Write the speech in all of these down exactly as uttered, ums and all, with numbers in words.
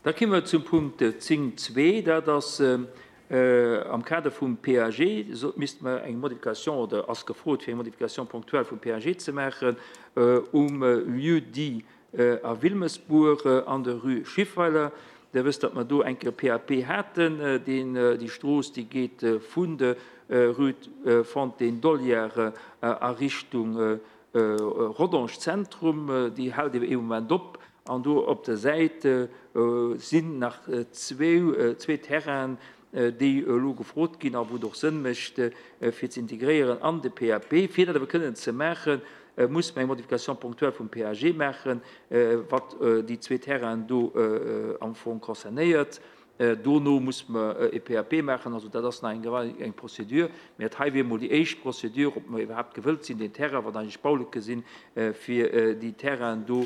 Da komme mer zum Punkt zéng zwee, dat ass am Kader vum P A G, misste mer eng Modification, oder ass gefrot, fir eng Modification ponctuelle vum P A G ze maachen um Lieu-dit a Wilmesbuer an der Rue Schiffweiler. Der wësst, datt mer do eng Kéier P A P haten, deen déi Strooss, déi geet vun der Rue Fontaine d'Olière a Richtung Rodange Zentrum, déi hält ebe ee Moment op, an do op der Säit sinn nach zwee zwee Terrainen, déi elo gefrot ginn a wou et och Sënn mécht, fir ze integréieren an de P A P. Fir dat awer kënnen ze maachen, muss mer eng Modification ponctuelle vum P A G maachen, wat déi zwee Terrainen do am Fong concernéiert. Dono muss mer e P A P maachen, also dat ass nach eng eng Procédure. Mä et hei wier emol déi éischt Procédure, ob mer iwwerhaapt gewëllt sinn, deen Terrain, wat eigentlech Baulücke sinn, fir déi Terrainen do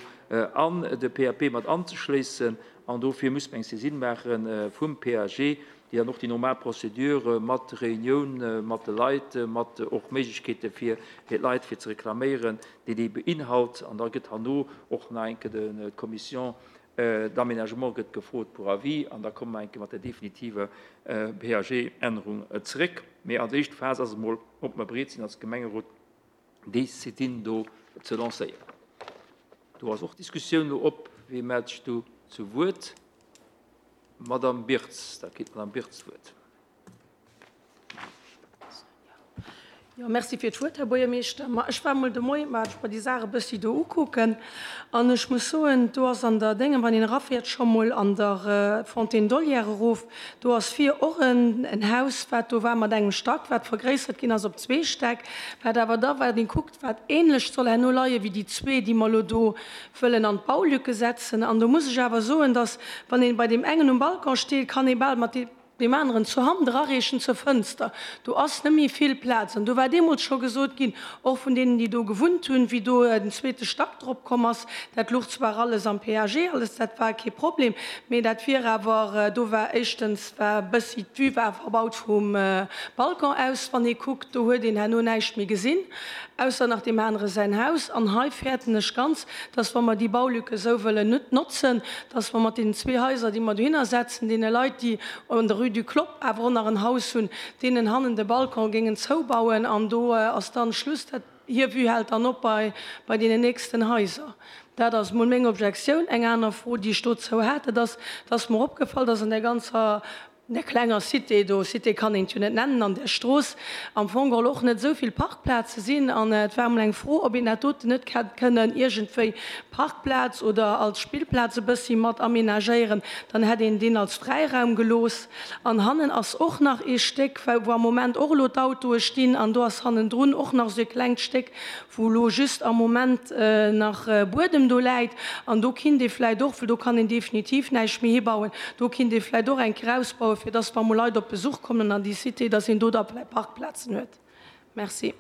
an de P A P mat anzeschléissen. An dofir muss mer eng Saisine maache vum P A G, déi dann och déi normal Procédure mat Reunioun mat de Leit, mat och Méiglechkeete fir fir d'Leit fir ze reklaméieren, déi déi beinhalt. An da gëtt herno och nach eng Kéier d'Commission d'aménagement gëtt gefrot pour avis, an da komme mer eng Kéier mat der definitiver P A G-Ännerung zeréck. Mee als éischt Phas ass emol, ob mer bereet sinn als Gemengerot, déi Saisine do ze lancéieren. Do ass och d'Diskussioun elo op. Wie mellt sech do zu Wuert? Madame Birtz, da kritt d'Madame Birtz d'Wuert. Jo, merci fir d'Wuert, Här Buergermeeschter. Ma ech war mol de Moien, ma ech mer déi Saach e bëssi do ukucken an ech muss soen, do ass an der Déngen, wann een erafäert, scho mol an der Fontaine d'Olière erof, do ass vir och en en Haus, wat do war mat engem Stack, wat vergréissert ginn ass op zwee Stäck, wat awer da, wat een kuckt, wat ähnlech soll herno leie wéi déi zwee, déi mer elo do wëllen an d'Baulücke setzen. An do muss ech awer soen, dass, wann een bei deem engen um Balcon steet, kann ee bal mat deem aneren zur Hand erareechen zur Fënster. Do ass net méi vill Plaz. An do war deemools scho gesot ginn, och vun deenen, déi do gewunnt hunn, wéi do den zweete Stack drop komm ass, dat luch zwar alles am P A G, alles, dat war kee Problem, mee dat wier awer, do war éischtens war e bëssi, d'Vue war verbaut vum Balcon aus, wann ee kuckt, do huet een herno näischt méi gesinn, ausser nach deem anere säin Haus. An hei fäerten ech ganz, dass, wa mer déi Baulücke esou wëllen notzen, dass mer mat deenen zwee Haiser, déi mer dohinner setzen, deene Leit, déi an der Rue du Clopp awer och nach en Haus hunn, deenen hannen de Balcon géingen zoubauen an do ass dann Schluss. Dat hir Vue hält dann op bei bei deenen nächsten Haiser. Dat ass mol meng Objektioun. Eng aner Fro, déi ech dozou hat, dat ass, dass mer opgefall, dass an där ganzer, där klenger Cité do, Cité kann een et jo net nennen, an där Strooss am Fong geholl och net esou vill Parkplaze sinn. An et war emol eng Fro, ob een dat doten net hätt kënnen iergendwéi Parkplaz oder als Spillplaz e bëssi mat aménagéieren. Dann hätt een deen als Fräiraum gelooss. An hannen ass och nach ee Stéck, wou am Moment och elo d'Autoe stinn. An do ass hannendrun och nach esou e klengt Stéck, wou elo just am Moment nach Buedem do läit. An do kinnt ee vläicht och, well do kann een definitiv näischt méi hibauen, do kinnt ee vläicht och eng Kéier ausbauen, fir dass, wa mol Leit op Besuch kommen an déi Cité, dass een do da vläicht Parkplazen huet. Merci.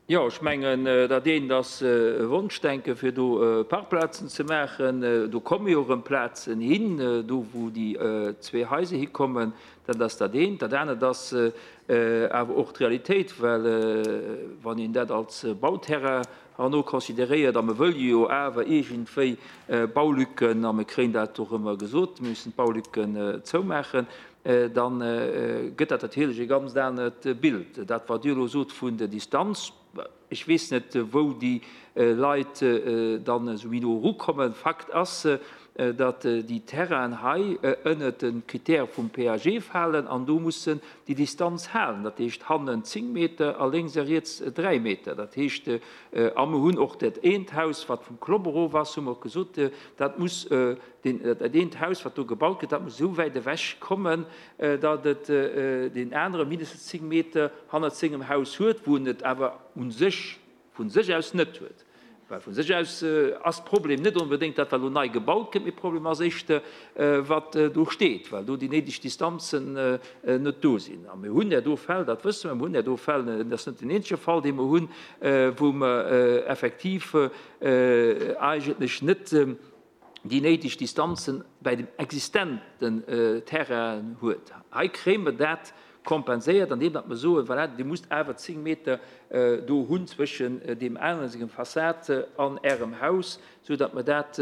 Jo, ech mengen, dat eent ass e Wonschdenken, fir do Parkplazen ze maachen. Do komme jo erëm Plazen hin, do wou déi zwee Haiser hikommen. Dat ass dat eent. Dat anert ass awer och d'Realitéit, well wann een dat als Bauterrain herno consideréiert, a mer wëlle jo awer iergendwéi Baulücken, a mer kréien dat och ëmmer gesot, mir müssen d'Baulücken zoumaachen, da gëtt dat natierlech e ganz anert Bild. Dat, wat Dir elo sot vun der Distanz, ech weess net, wou déi Leit dann esou méi no erukommen. Fakt ass, datt déi Terrainen hei ënnert de Critère vum P A G falen an do mussen déi Distanz halen. Dat heescht hannen zéng Meter a lénks a riets dräi Meter. Dat heescht, a mer hunn och dat eent Haus, wat vum Clopp erof ass, hu mer och gesot, dat muss, dat eent Haus, wat do gebaut gëtt, dat muss esou wäit ewech kommen, datt et deen anere mindestens zéng Meter hannert sengem Haus huet, wou en et awer u sech vu sech aus net huet. Well vu sech aus ass d'Problem net onbedéngt dat, wat elo nei gebaut gëtt, mee d'Problem ass éischter, wat do steet, well do déi néideg Distanzen net do sinn. A mir hunn der do Fäll, dat wësse mer, mir hunn der do Fäll, et ass net den eenzege Fall, dee mer hunn, wou mer effektiv eigentlech net déi néideg Distanzen bäi dem existenten Terrain huet. Hei kréie mer dat kompenséiert, andeem datt mer soen, voilà, Dir musst awer zéng Meter do hunn zwëschen deem aneren sengem Fassad an Ärem Haus, sou datt mer dat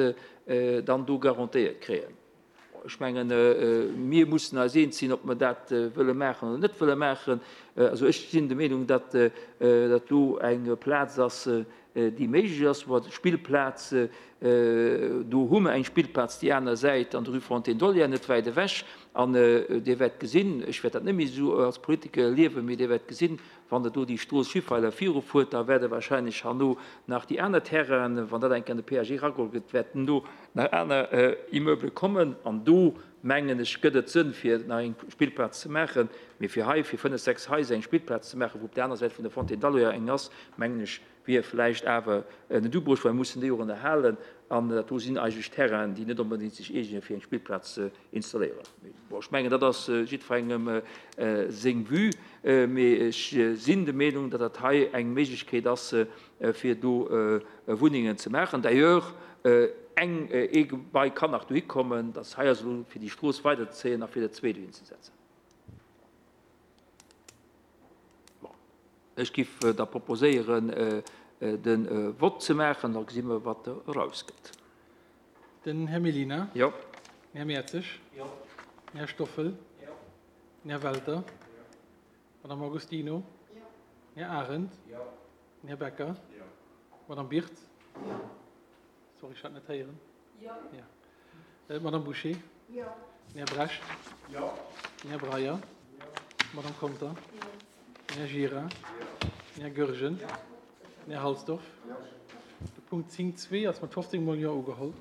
dann do garantéiert kréien. Ech mengen, mir mussen eis eens sinn, ob mer dat wëlle maachen oder net wëlle maachen. Also ech sinn der Meenung, datt dat do eng Plaz ass, déi méiglech ass, wou Spillplaz, do hu mer eng Spillplaz déi aner Säit an der Rue Fontaine d'Olière, net wäit ewech. An Dir wäert gesinn, ech wäert dat net méi esou als Politiker erliewen, mee Dir wäert gesinn, wann Der do déi Strooss Schiffweiler virufuert, da wäerte wahrscheinlech herno nach déi aner Terrainen, wann dat eng Kéier an de P A G erageholl gëtt, wäerten do nach aner Immeuble kommen. An do, mengen ech, gëtt et Sënn, fir nach eng Spillplaz ze maachen. Mee fir hei, fir fënnef, sechs Haiser eng Spillplaz ze maachen, wou op der aner Säit vun der Fontaine d'Aloja eng ass, mengen ech, wier vläicht awer net ubruecht, well mir mussen déi och ënnerhalen. An dat do sinn eigentlech Terrainen, déi net onbedéngt sech eegnen, fir eng Spillplaz ze installéieren. Bon, ech mengen, dat ass jiddwerengem seng Vue, mee ech sinn der Meenung, datt dat hei eng Méiglechkeet ass, fir do Wunnengen ze maachen. D'ailleurs, eng ee Gebai kann nach dohi kommen, datt hei ass elo fir déi Strooss weiderzéien a fir dat zwee dohin ze setzen. Bon. Ech géif da proposéieren, den Vott ze maachen, da gesi mer, wat erausgëtt. Den Här Mellina. Jo. Den Här Mertzig. Jo. Den Här Stoffel. Jo. Den Här Welter. Jo. Madame Agostino. Jo. Den Här Arendt. Jo. Den Här Becker. Jo. Madame Birth. Jo. Sorry, ich hatte nicht hören. Jo. Ja. Äh, Madame Boucher. Jo. Den Här Brecht. Jo. Den Här Breyer. Jo. Madame Conter. Jo. Den Här Gira. Jo. Den Här Goergen. Jo. Den Här Halsdorf. Jo. De Punkt zéng zwee ass mat fofzéng Mol Jo ugeholl.